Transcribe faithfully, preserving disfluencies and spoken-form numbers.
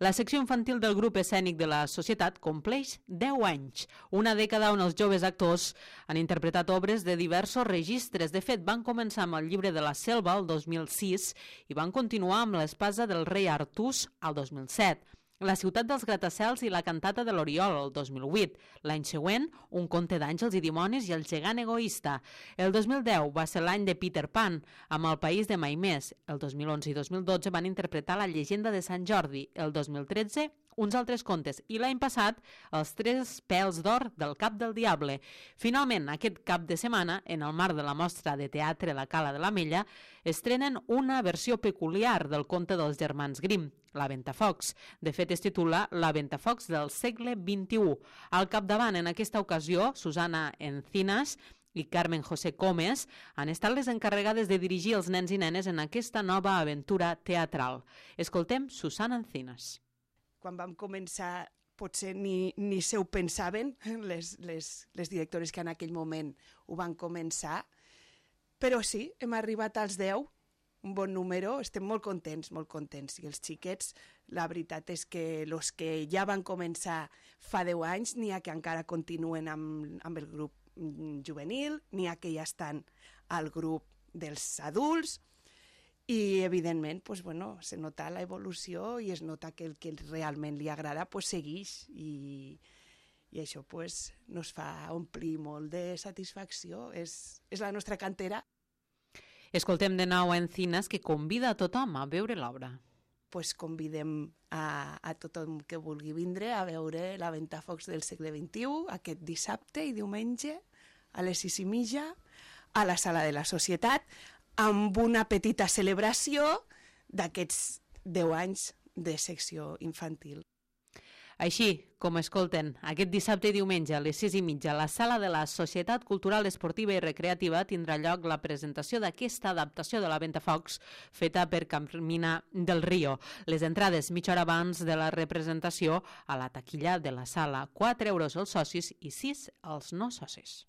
La secció infantil del grup escènic de la Societat compleix deu anys, una dècada on els joves actors han interpretat obres de diversos registres. De fet, van començar amb el Llibre de la Selva el dos mil sis i van continuar amb l'Espasa del rei Artús al dos mil set. La ciutat dels gratacels i la cantata de l'Oriol, el dos mil vuit. L'any següent, Un conte d'àngels i dimonis i el gegant egoista. El dos mil deu va ser l'any de Peter Pan, amb El país de mai més. El dos mil onze i dos mil dotze van interpretar La llegenda de Sant Jordi. El dos mil tretze, uns altres contes. I l'any passat, Els tres pèls d'or del cap del diable. Finalment, aquest cap de setmana, en el marc de la mostra de teatre La Cala de l'Ametlla, estrenen una versió peculiar del conte dels germans Grimm, La Ventafocs. De fet, es titula La Ventafocs del segle vint-i-u. Al capdavant, en aquesta ocasió, Susana Encinas i Carmen José Gómez han estat les encarregades de dirigir els nens i nenes en aquesta nova aventura teatral. Escoltem Susana Encinas. Quan vam començar, potser ni, ni se ho pensaven, les, les, les directores que en aquell moment ho van començar, però sí, hem arribat als deu, un bon número, estem molt contents, molt contents. I els xiquets, la veritat és que els que ja van començar fa deu anys, n'hi ha que encara continuen amb, amb el grup juvenil, n'hi ha que ja estan al grup dels adults, i evidentment pues, bueno, se nota la evolució i es nota que el que realment li agrada pues, segueix i, i això pues, nos fa omplir molt de satisfacció. És, és la nostra cantera. Escoltem de nou a Encinas, que convida a tothom a veure l'obra. Pues convidem a, a tothom que vulgui vindre a veure La Ventafocs del segle vint-i-u aquest dissabte i diumenge a les sis i mitja a la Sala de la Societat, amb una petita celebració d'aquests deu anys de secció infantil. Així, com escolten, aquest dissabte i diumenge a les sis i mitja a la Sala de la Societat Cultural, Esportiva i Recreativa tindrà lloc la presentació d'aquesta adaptació de La Ventafocs feta per Carmina del Río. Les entrades mitja hora abans de la representació a la taquilla de la sala. quatre euros els socis i sis els no socis.